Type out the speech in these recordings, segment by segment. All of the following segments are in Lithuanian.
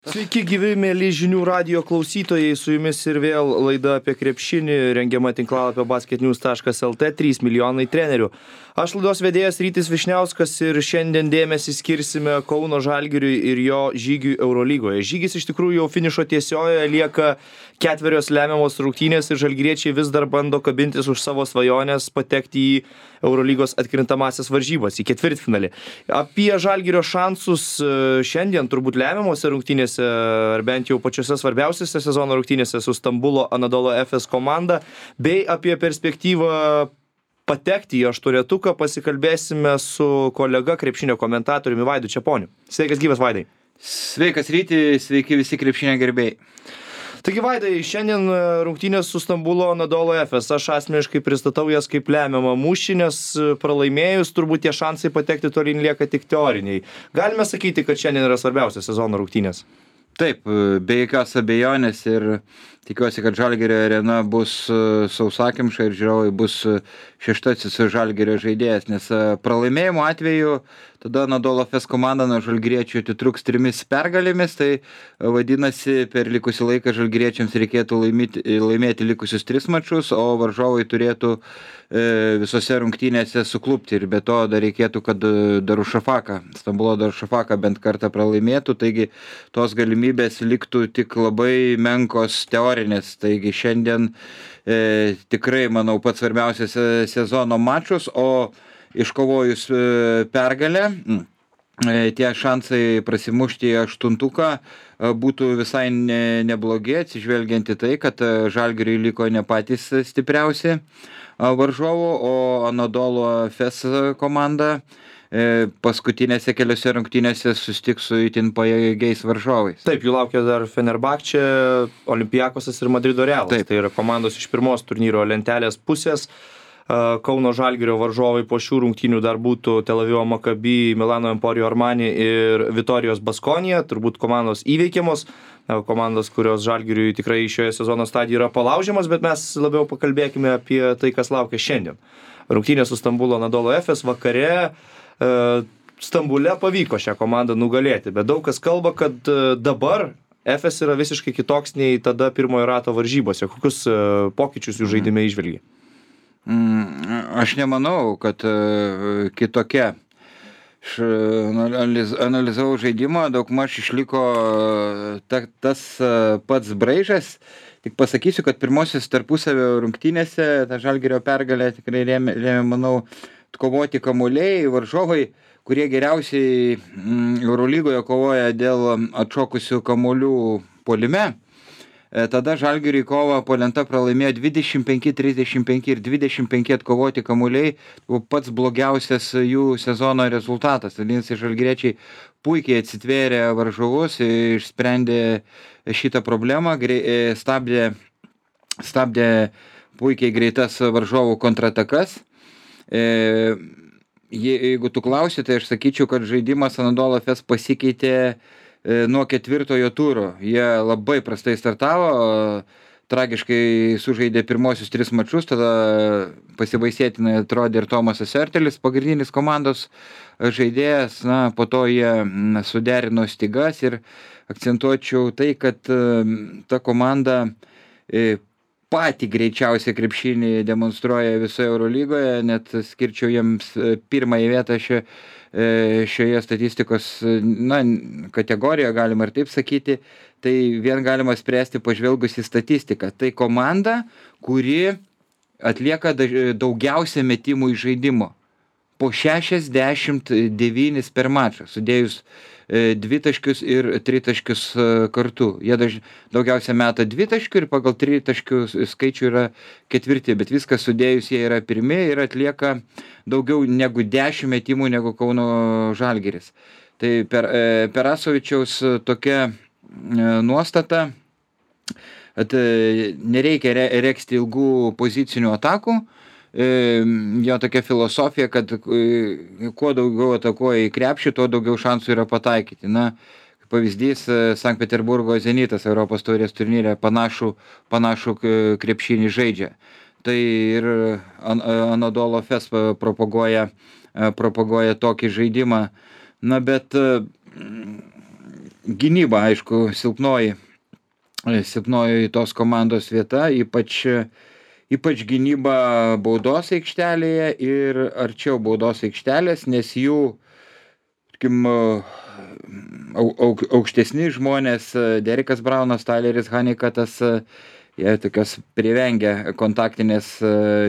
Sveiki gyvi, mėly žinių radijo klausytojai, su jumis ir vėl laida apie krepšinį, rengiama tinklalapio basketnews.lt 3 milijonai trenerių. Aš laidos vedėjas Rytis Vyšniauskas ir šiandien dėmesį skirsime Kauno Žalgiriui ir jo žygiui Eurolygoje. Žygis iš tikrųjų jau finišo tiesiojoje, lieka 4 lemiamos rungtynės ir žalgiriečiai vis dar bando kabintis už savo svajonės patekti į Eurolygos atkrintamąsias varžybas, į ketvirtfinalį. Apie Žalgirio šansus šiandien turbūt lemiamose rungtynėse, ar bent jau pačiose svarbiausiose sezono rungtynėse su Stambulo Anadolu Efes komanda, bei apie perspektyvą patekti į aštuonetuką pasikalbėsime su kolega krepšinio komentatoriumi Vaidu Čeponiu. Sveikas gyvas, Vaidai. Sveikas Ryti, sveiki visi krepšinio gerbėjai. Taigi, Vaidai, šiandien rungtynės su Stambulo Anadolu Efes. Aš asmeniškai pristatau jas kaip lemiamą mūšį, nes pralaimėjus turbūt tie šansai patekti tolyn lieka tik teoriniai. Galime sakyti, kad šiandien yra svarbiausias sezono rungtynės. Taip, be jokios abejonės ir tikiuosi, kad Žalgirio arena bus sausakimša ir žiūrovai bus šeštasis Žalgirio žaidėjas, nes pralaimėjimo atveju tada Anadolu Efes komanda nuo žalgiriečių atitruks 3 pergalėmis, tai vadinasi, per likusį laiką žalgiriečiams reikėtų laimėti likusius 3 mačus, o varžovai turėtų visose rungtynėse suklupti ir be to dar reikėtų, kad Stambulo Darušafaka bent kartą pralaimėtų, taigi tos galimybės liktų tik labai menkos teorinės, taigi šiandien tikrai, manau, pats svarbiausias sezono mačus, o iškovojus pergalę, tie šansai prasimušti į aštuntuką būtų visai neblogi, atsižvelgiant į tai, kad Žalgiriui liko ne patys stipriausi varžovų, o Anadolu Efes komanda paskutinėse keliose rungtynėse susitiks su itin pajėgiais varžovais. Taip, jų laukia dar Fenerbahčė, Olympiakosas ir Madrido Realas. Taip. Tai yra komandos iš pirmos turnyro lentelės pusės. Kauno Žalgirio varžovai po šių rungtynių dar būtų Tel Avivo Maccabi, Milano Emporio Armani ir Vitorijos Baskonija, turbūt komandos įveikiamos, komandos, kurios Žalgiriui tikrai šioje sezono stadijoje yra palaužiamas, bet mes labiau pakalbėkime apie tai, kas laukia šiandien. Rungtynės su Stambulo Anadolu Efes vakare. Stambule pavyko šią komandą nugalėti, bet daug kas kalba, kad dabar Efes yra visiškai kitoks nei tada pirmojo rato varžybose. Kokius pokyčius jų žaidime įžvelgi? Aš nemanau, kad kitokia. Aš analizavau žaidimą, daugmaž išliko tas pats braižas. Tik pasakysiu, kad pirmosios tarpusavio rungtynėse tą Žalgirio pergalę tikrai lėmė, manau, kovoti kamuoliai, varžovai, kurie geriausiai Eurolygoje kovoja dėl atšokusių kamuolių puolime. Tada Žalgiriui kovą po lenta pralaimėjo 25-35 ir 25 atkovoti kamuoliai, pats blogiausias jų sezono rezultatas. Vadinasi, žalgiriečiai puikiai atsitvėrė varžovus, išsprendė šitą problemą, stabdė puikiai greitas varžovų kontratakas. Jeigu tu klausi, tai aš sakyčiau, kad žaidimas Anadolu Efes pasikeitė nuo 4 turo. Jie labai prastai startavo, tragiškai sužaidė pirmosius 3 mačus, tada pasibaisėtinai atrodė ir Tomasas Ertelis, pagrindinis komandos žaidėjas, po to jie suderino stygas ir akcentuočiau tai, kad ta komanda patį greičiausią krepšinį demonstruoja visoje Eurolygoje, net skirčiau jiems pirmąją vietą šioje statistikos kategorijoje, galima ir taip sakyti. Tai vien galima spręsti pažvelgus į statistiką. Tai komanda, kuri atlieka daugiausia metimų iš žaidimo. Po 69 per mačą, sudėjus 2 taškius ir 3 taškius kartu. Jie daugiausia meta 2 taškių ir pagal 3 taškių skaičių yra 4, bet viskas sudėjus jie yra pirmi ir atlieka daugiau negu 10 metimų negu Kauno Žalgiris. Tai Perasovičiaus tokia nuostata, kad nereikia regzti ilgų pozicinių atakų. Jo tokia filosofija, kad kuo daugiau atakuoja į krepšį, tuo daugiau šansų yra pataikyti. Pavyzdys, Sankt Peterburgo Zenitas Europos taurės turnyre panašų krepšinį žaidžia. Tai ir Anadolu Efes propaguoja tokį žaidimą. Bet gynyba, aišku, silpnoji tos komandos vieta, ypač gynyba baudos aikštelėje ir arčiau baudos aikštelės, nes jų, tarkim, aukštesni žmonės, Derekas Braunas, Tyleris Honeycuttas, jie tokios privengia kontaktinės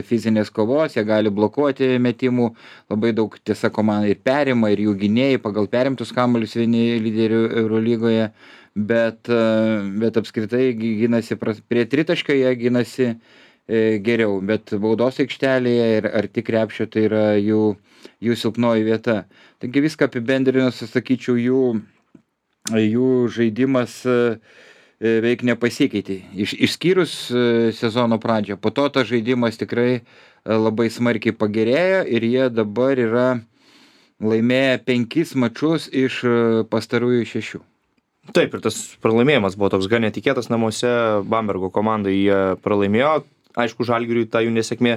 fizinės kovos, jie gali blokuoti metimų, labai daug tiesa komanda ir perima, ir jų gynėjai pagal perimtus kamuolius vieni lyderių Eurolygoje, bet apskritai gynasi prie tritaškio, jie gynasi geriau, bet baudos aikštelėje ir arti krepšio tai yra jų silpnoji vieta. Taigi viską apibendrinus, sakyčiau, jų žaidimas veik nepasikeitė. Išskyrus sezono pradžią. Po to tas žaidimas tikrai labai smarkiai pagerėjo ir jie dabar yra laimėję 5 mačus iš pastarųjų 6. Taip, ir tas pralaimėjimas buvo toks gan netikėtas namuose, Bambergo komandai jie pralaimėjo. Aišku, Žalgiriui ta jų nesėkmė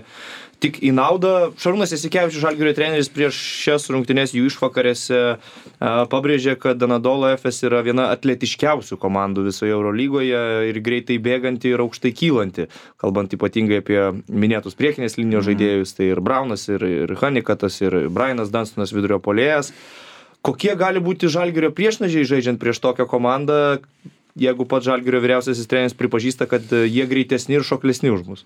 tik į naudą. Šarūnas Jasikevičius, Žalgirio treneris, prieš šias rungtynes jų išvakarėse pabrėžė, kad Anadolu Efes yra viena atletiškiausių komandų visoje Eurolygoje ir greitai bėganti ir aukštai kylanti. Kalbant ypatingai apie minėtus priekinės linijos žaidėjus, tai ir Braunas, ir Honeycuttas, ir Brianas Dunstonas vidurio puolėjas. Kokie gali būti Žalgirio priešnažiai žaidžiant prieš tokią komandą, jeigu pats Žalgirio vyriausiasis treneris pripažįsta, kad jie greitesni ir šoklesni už mus?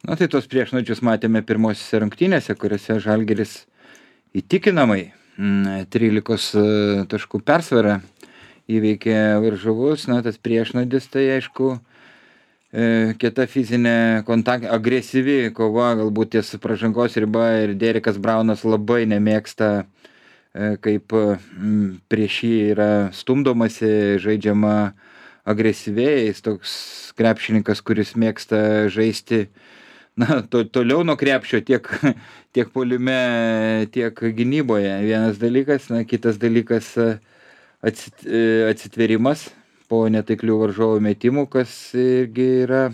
Na tai tos priešnačius matėme pirmosiose rungtynėse, kuriuose Žalgiris įtikinamai 13 taškų persvarą įveikė varžovus. Na tas priešnadis tai aišku kieta fizinė agresyvi kova, galbūt ties pražangos riba, ir Derekas Braunas labai nemėgsta, kaip prieš jį yra stumdomasi, žaidžiama agresyviai. Jis toks krepšininkas, kuris mėgsta žaisti toliau nuo krepšio, tiek puolime, tiek gynyboje. Vienas dalykas, kitas dalykas atsitvėrimas po netaiklių varžovų metimų, kas irgi yra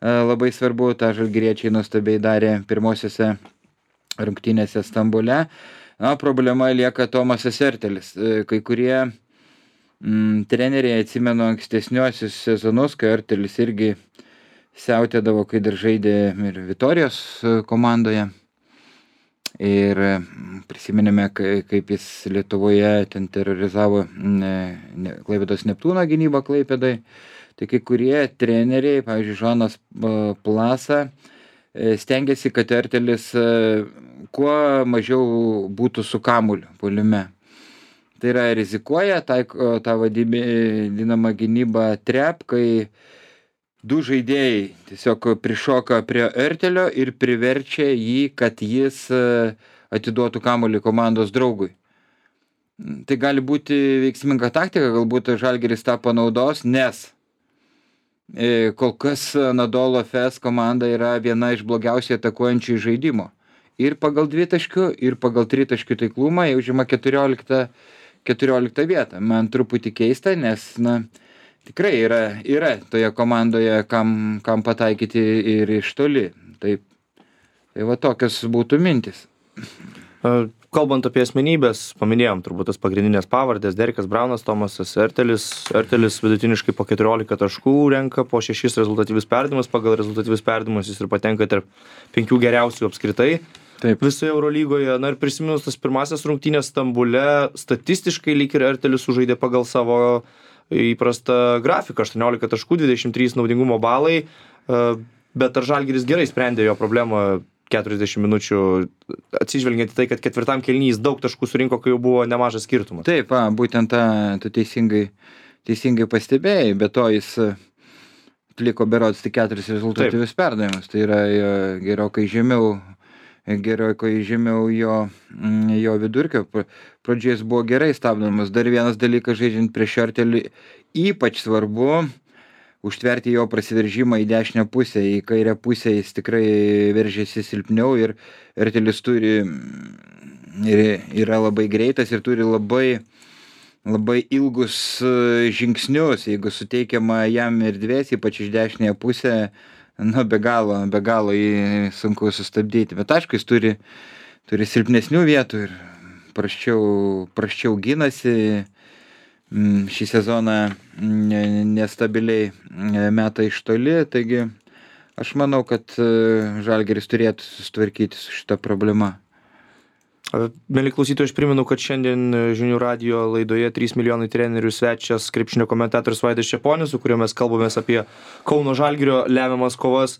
labai svarbu. Ta žalgiriečiai nuostabiai darė pirmosiose rungtynėse Stambule. Problema lieka Tomasas Ertelis. Kai kurie treneriai atsimenu ankstesniuosius sezonus, kai Ertelis irgi siautėdavo, kai dar žaidė ir Vitorijos komandoje. Ir prisiminėme, kaip jis Lietuvoje ten terorizavo Klaipėdos Neptūno gynybą Klaipėdai. Tai kai kurie treneriai, pavyzdžiui, Žanas Plasa, stengiasi, kad Ertelis kuo mažiau būtų su kamuoliu puolime. Tai yra rizikuoja, taiko tą vadinamą gynybą trap, kai du žaidėjai tiesiog prišoka prie Ertelio ir priverčia jį, kad jis atiduotų kamuolį komandos draugui. Tai gali būti veiksminga taktika, galbūt Žalgiris tą panaudos, nes kol kas Anadolu Efes komanda yra viena iš blogiausiai atakuojančių žaidimo. Ir pagal dvitaškių, ir pagal tritaškių taiklumą jie užima 14 vietą. Man truputį keista, nes tikrai yra toje komandoje, kam pataikyti ir iš toli. Tai va tokios būtų mintis. Kalbant apie asmenybės, paminėjom turbūt tas pagrindinės pavardės: Derekas Braunas, Tomasas Ertelis. Ertelis vidutiniškai po 14 taškų renka, po 6 rezultatyvius perdavimus. Pagal rezultatyvius perdavimus jis ir patenka tarp 5 geriausių apskritai. Taip. Visoje Eurolygoje. Ir prisiminus tas pirmasias rungtynės Stambule, statistiškai lyg ir Ertelis sužaidė pagal savo įprastą grafiką: 18 taškų, 23 naudingumo balai. Bet ar Žalgiris gerai sprendė jo problemą 40 minučių, atsižvelgiant į tai, kad ketvirtam kėliny jis daug taškų surinko, kai jau buvo nemažas skirtumas? Taip, būtent tu teisingai pastebėjai, bet to jis atliko berods tik 4 rezultatyvius perdavimus. Tai yra gerokai žemiau jo vidurkio. Pradžioje jis buvo gerai stabdomas. Dar vienas dalykas, žaidžiant prieš Ertelį, ypač svarbu užtverti jo prasiveržimą į dešinę pusę. Į kairę pusę jis tikrai veržėsi silpniau ir Ertelis yra labai greitas ir turi labai ilgus žingsnius. Jeigu suteikiama jam erdvės, ypač iš dešinėje pusę, be galo jį sunku sustabdyti. Bet aišku, jis turi silpnesnių vietų ir prasčiau ginasi. šį sezoną nestabiliai meta iš toli, taigi aš manau, kad Žalgiris turėtų susitvarkyti su šita problema. Mėly klausytojai, aš primenu, kad šiandien Žinių radijo laidoje 3 milijonai trenerių svečias krepšinio komentatorius Vaidas Čeponis, su kuriuo mes kalbamės apie Kauno Žalgirio lemiamas kovas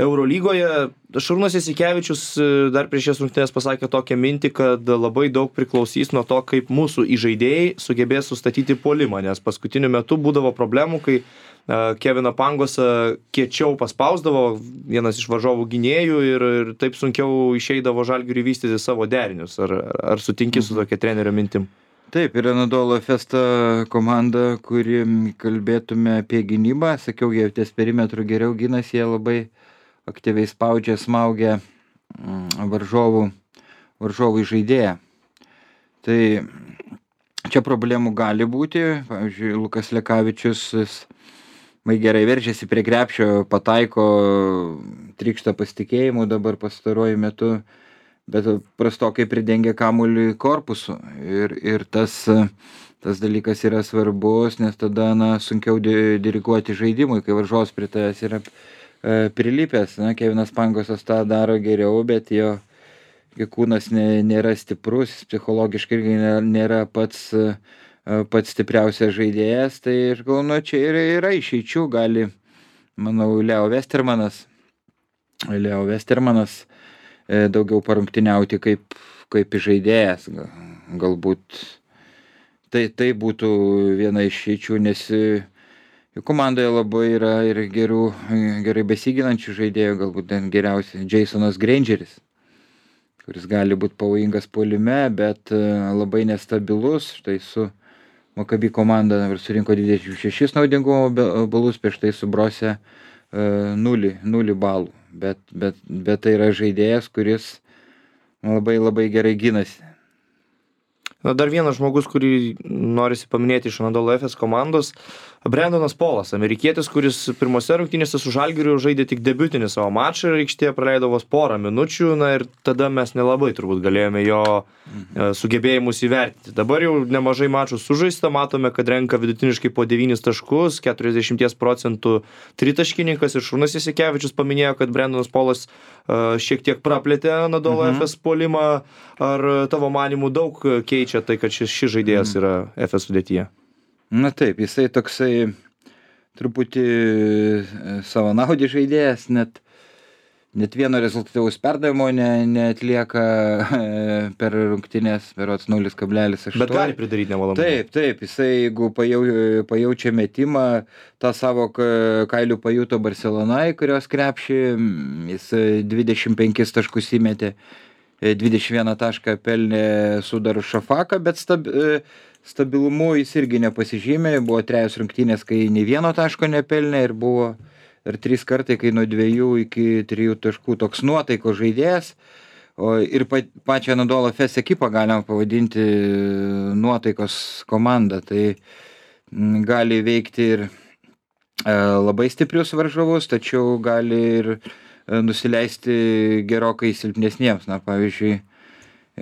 Eurolygoje. Šarūnas Jasikevičius dar prieš šias rungtynes pasakė tokią mintį, kad labai daug priklausys nuo to, kaip mūsų įžaidėjai sugebės sustatyti puolimą, nes paskutiniu metu būdavo problemų, kai Keviną Pangosą kiečiau paspausdavo vienas iš varžovų gynėjų ir taip sunkiau išeidavo Žalgiriui vystyti savo derinius. Ar sutinki su tokia trenerio mintim? Taip, yra Anadolu Efes ta komanda, kuri kalbėtume apie gynybą. Sakiau, jie ties perimetrų geriau ginasi, jie labai aktyviai spaudžia, smaugia varžovų žaidėją. Tai čia problemų gali būti. Pavyzdžiui, Lukas Lekavičius gerai veržiasi prie krepšio, pataiko, trykšta pasitikėjimu dabar pastaruoju metu, bet prastokai pridengia kamuolį korpusu. Ir tas dalykas yra svarbus, nes tada sunkiau diriguoti žaidimui, kai varžovas prie tavęs yra prilipęs. Kevinas Pangosas tą daro geriau, bet jo kūnas nėra stiprus, psichologiškai nėra pats stipriausias žaidėjas, tai aš galvoju, čia yra išeičių, gali, manau, Leo Westermanas daugiau parungtiniauti kaip žaidėjas, galbūt tai būtų viena išeičių, nes jų komandoje labai yra ir gerai besiginančių žaidėjų, galbūt geriausiai Jasonas Grangeris, kuris gali būti pavojingas puolime, bet labai nestabilus. Štai su Maccabi komanda surinko 26 naudingumo balus, prieš tai su Brose 0 balų. Bet tai yra žaidėjas, kuris labai gerai ginasi. Dar vienas žmogus, kurį norisi paminėti iš Anadolu Efes komandos, Brendonas Polas, amerikietis, kuris pirmose rungtynėse su Žalgiriu žaidė tik debiutinį savo mačą ir aikštėje praleido vos porą minučių, ir tada mes nelabai turbūt galėjome jo sugebėjimus įvertinti. Dabar jau nemažai mačų sužaista, matome, kad renka vidutiniškai po 9 taškus, 40% tritaškininkas ir Šarūnas Jasikevičius paminėjo, kad Brendonas Polas šiek tiek praplėtė Anadolu Efes puolimą. Ar tavo manimų daug keičia tai, kad šis žaidėjas yra Efes sudėtyje? Na taip, jisai toksai truputį savanaudis žaidėjas, net vieno rezultatyvaus perdavimo neatlieka per rungtynes, berods 0,8. Bet gali pridaryti nemalonumų. Taip, jisai jeigu pajaučia metimą, tą savo kailių pajuto Barcelonai, kurios krepšį, jis 25 taškus įmetė, 21 tašką pelnė su Darušafaka, bet stabilumu jis irgi nepasižymė. Buvo 3 rungtynės, kai nei vieno taško nepelnė ir buvo ir 3 kartai, kai nuo 2 iki 3 taškų toks nuotaiko žaidėjas. Ir pačią Anadolu Efes ekipą galima pavadinti nuotaikos komanda. Tai gali veikti ir labai stiprius varžovus, tačiau gali ir nusileisti gerokai silpnesniems. Pavyzdžiui,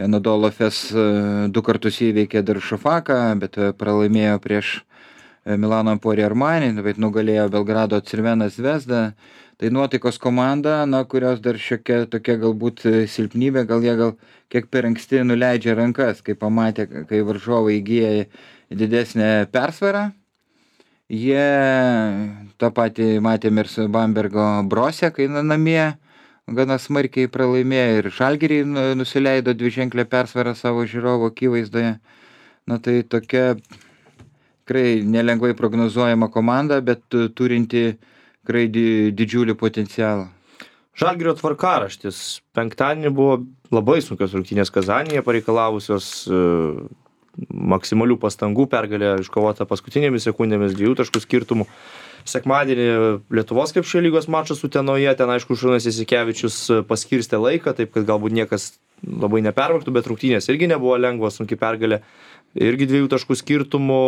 Anadolu Efes 2 kartus įveikė Darušafaką, bet pralaimėjo prieš Milano Emporio Armani, bet nugalėjo Belgrado Crvena Zvezda. Tai nuotaikos komanda, kurios dar šiokia tokia galbūt silpnybė, gal jie kiek per anksti nuleidžia rankas, kai pamatė, kai varžovai įgyja didesnę persvarą. Jie tą patį matėme ir su Bambergo Brose, kai namie gana smarkiai pralaimėjo ir Žalgirį nusileido 2ženklę persvarą savo žiūrovo akivaizdoje. Tai tokia tikrai nelengvai prognozuojama komanda, bet turinti tikrai didžiulį potencialą. Žalgirio tvarkaraštis. Penktadienį buvo labai sunkios rungtynės Kazanėje, pareikalavusios maksimalių pastangų, pergalė iškovota paskutinėmis sekundėmis 2 taškų skirtumų. Sekmadienį Lietuvos krepšinio lygos mačas Utenoje, ten aišku Šarūnas Jasikevičius paskirstė laiką, taip kad galbūt niekas labai nepervargtų, bet rungtynės irgi nebuvo lengvos, sunki pergalė, irgi 2 taškų skirtumų.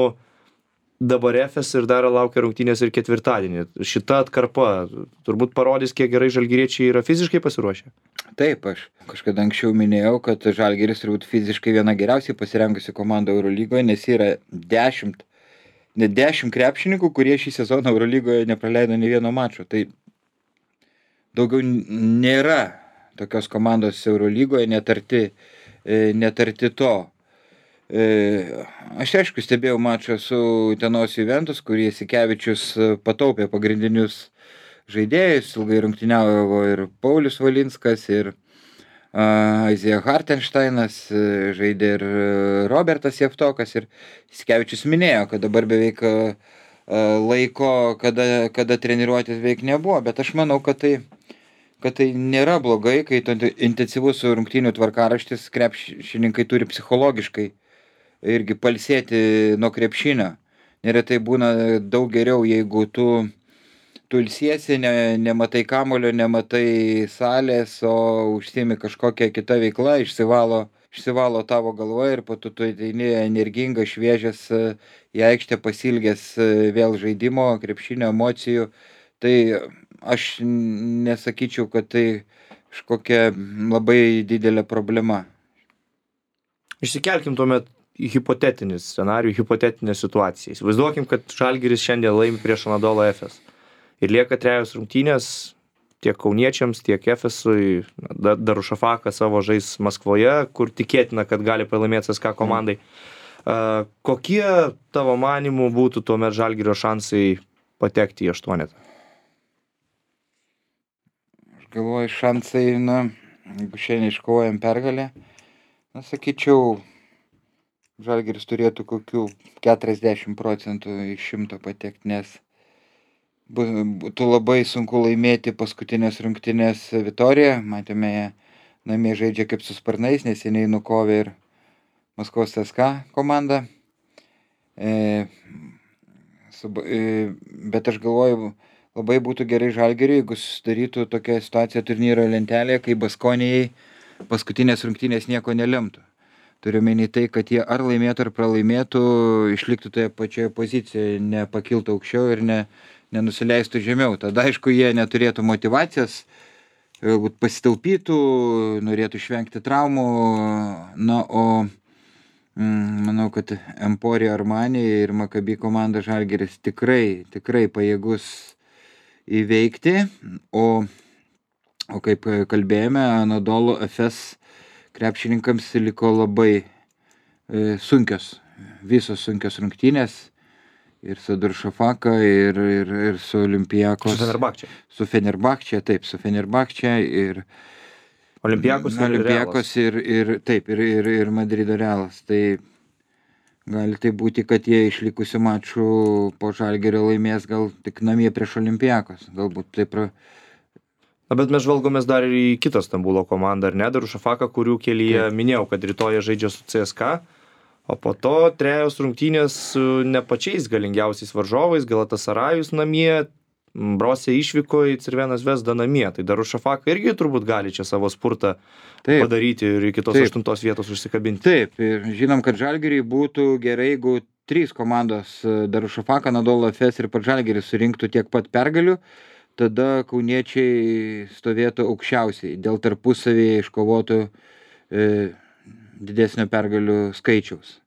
dabar Efes ir dar laukia rungtynės ir ketvirtadienį. Šita atkarpa turbūt parodys, kiek gerai žalgiriečiai yra fiziškai pasiruošę. Taip, aš kažkada anksčiau minėjau, kad Žalgiris turbūt fiziškai viena geriausiai pasirengusi komanda Eurolygoje, nes yra 10 krepšininkų, kurie šį sezoną Eurolygoje nepraleido nei vieno mačo. Tai daugiau nėra tokios komandos Eurolygoje netarti to. Aš aišku stebėjau mačą su Utenos Juventus, kur Jasikevičius pataupė pagrindinius žaidėjus, ilgai rungtyniavo ir Paulius Valinskas, ir Aizija Hartensteinas, žaidė ir Robertas Jeftokas, ir Jasikevičius minėjo, kad dabar beveik laiko, kada treniruotės beveik nebuvo, bet aš manau, kad tai nėra blogai, kai intensyvus rungtynių tvarkaraštis krepšininkai turi psichologiškai irgi palsėti nuo krepšinio. Neretai būna daug geriau, jeigu tu ilsiesi, nematai kamulio, nematai salės, o užsiimi kažkokią kitą veiklą, išsivalo tavo galva ir po to tu ateini energingas, šviežias į aikštę, pasilgęs vėl žaidimo, krepšinio, emocijų. Tai aš nesakyčiau, kad tai kažkokia labai didelė problema. Išsikelkim tuomet į hipotetinį scenarijų, hipotetinę situaciją. Įsivaizduokim, kad Žalgiris šiandien laimi prieš Anadolu Efes. Ir lieka 3 rungtynės tiek kauniečiams, tiek Efesui. Darušafakas savo žais Maskvoje, kur tikėtina, kad gali pralaimėti CSKA komandai. Kokie tavo manymų būtų tuomet Žalgirio šansai patekti į 8? Aš galvoju, šansai, jeigu šiandien iškovojam pergalę, sakyčiau, Žalgiris turėtų kokių 40% iš 100 patekti, nes būtų labai sunku laimėti paskutinės rungtynės Vitoriją. Matėme, jie namie žaidžia kaip su sparnais, neseniai nukovė ir Maskvos CSKA komandą. Bet aš galvoju, labai būtų gerai Žalgiriui, jeigu susidarytų tokia situacija turnyro lentelėje, kai Baskonijai paskutinės rungtynės nieko nelemtų. Turiu menį tai, kad jie ar laimėtų, ar pralaimėtų, išliktų toje pačioje pozicijoje, nepakiltų aukščiau ir nenusileistų žemiau. Tada, aišku, jie neturėtų motyvacijos, galbūt pasitaupytų, norėtų išvengti traumų. O manau, kad Emporio Armani ir Maccabi komanda Žalgiris tikrai pajėgus įveikti. O kaip kalbėjome, Anadolu Efes krepšininkams liko labai visos sunkios rungtynės ir su Darušafaka, ir su Olympiakos. Su Fenerbahče, taip, su Fenerbahče ir Olympiakos ir Madrido Realas. Tai gali tai būti, kad jie išlikusių mačų po Žalgirio laimės gal tik namie prieš Olympiakos. Galbūt taip. Bet mes žvalgomės dar ir į kitą Stambulo komandą, ar ne? Darušafaka, kurių kelyje minėjau, kad rytoj žaidžia su CSKA, o po to 3 rungtynės su ne pačiais galingiausiais varžovais, Galatasarajus namie, Brose išvyko į Crveną Zvezdą namie. Tai Darušafaka irgi turbūt gali čia savo spurtą padaryti ir iki tos 8 vietos užsikabinti. Taip, ir žinom, kad Žalgiriui būtų gerai, jeigu 3 komandos Darušafaka, Anadolu Efes ir pats Žalgiris surinktų tiek pat pergalių. Tada kauniečiai stovėtų aukščiausiai dėl tarpusavyje iškovotų didesnio pergalių skaičiaus.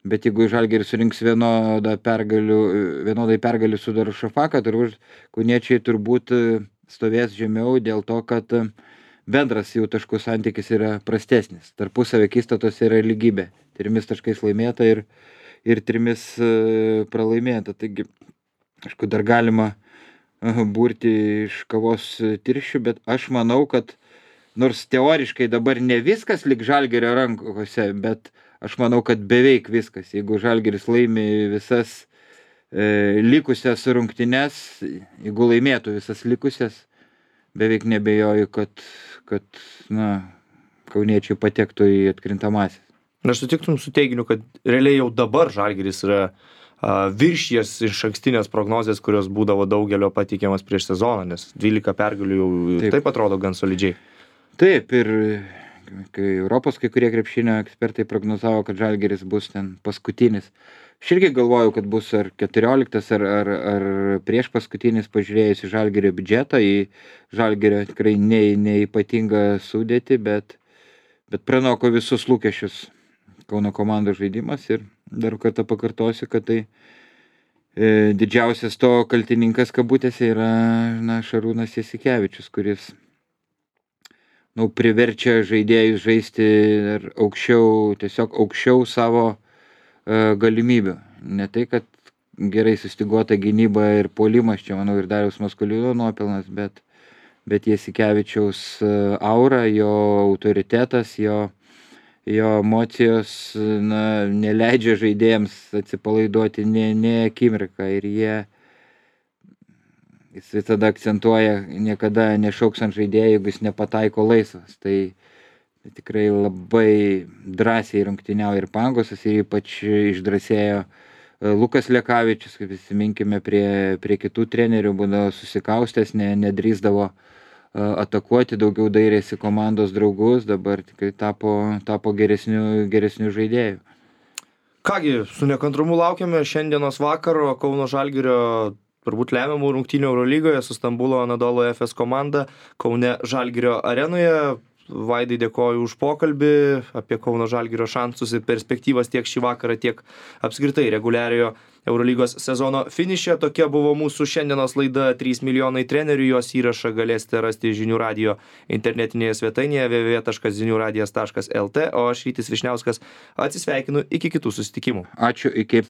Bet jeigu Žalgiris surinks vienodai pergalių su Darušafaka, turbūt kauniečiai turbūt stovės žemiau dėl to, kad bendras jų taškų santykis yra prastesnis. Tarpusavio akistatos yra lygybė. 3 taškais laimėta ir 3 pralaimėta. Taigi, aišku, dar galima burti iš kavos tirščių, bet aš manau, kad nors teoriškai dabar ne viskas lik Žalgirio rankose, bet aš manau, kad beveik viskas. Jeigu Žalgiris laimi visas likusias rungtynes, jeigu laimėtų visas likusias, beveik nebejoju, kad kauniečiai patektų į atkrintamasis. Aš sutiktum su teiginiu, kad realiai jau dabar Žalgiris yra viršijęs išankstinės prognozės, kurios būdavo daugelio pateikiamas prieš sezoną, nes 12 pergalių jau taip atrodo gan solidžiai. Taip, ir kai Europos kai kurie krepšinio ekspertai prognozavo, kad Žalgiris bus ten paskutinis. Aš irgi galvojau, kad bus ar 14 ar prieš paskutinis pažiūrėjus į Žalgirio biudžetą, į Žalgirio tikrai neypatingą sudėtį, bet pranoko visus lūkesčius Kauno komandos žaidimas ir dar kartą pakartosiu, kad tai didžiausias to kaltininkas kabutėse yra Šarūnas Jasikevičius, kuris priverčia žaidėjus žaisti tiesiog aukščiau savo galimybių. Ne tai, kad gerai sustyguota gynyba ir puolimas, čia manau ir Dariaus Maskoliūno nuopelnas, bet Jasikevičiaus aura, jo autoritetas, jo emocijos neleidžia žaidėjams atsipalaiduoti ne akimirką ir jis visada akcentuoja, niekada nešauks ant žaidėjų, jeigu jis nepataiko laisvas. Tai tikrai labai drąsiai rungtyniauja ir Pangosas, ir ypač išdrąsėjo Lukas Lekavičius, kaip prisiminkime, prie kitų trenerių būdavo susikaustęs, nedrįsdavo atakuoti, daugiau dairėsi komandos draugus, dabar tikrai tapo geresnių žaidėjų. Kągi, su nekantrumu laukiame šiandienos vakaro Kauno Žalgirio turbūt lemiamų rungtynių Eurolygoje su Stambulo Anadolu Efes komanda Kaune Žalgirio arenoje. Vaidai, dėkoju už pokalbį apie Kauno Žalgirio šansus ir perspektyvas tiek šį vakarą, tiek apskritai reguliariojo Eurolygos sezono finiše. Tokia buvo mūsų šiandienos laida 3 milijonai trenerių. Jos įrašą galėsite rasti Žinių radijo internetinėje svetainėje www.ziniuradijas.lt, o aš Rytis Vyšniauskas atsisveikinu iki kitų susitikimų. Ačiū, iki.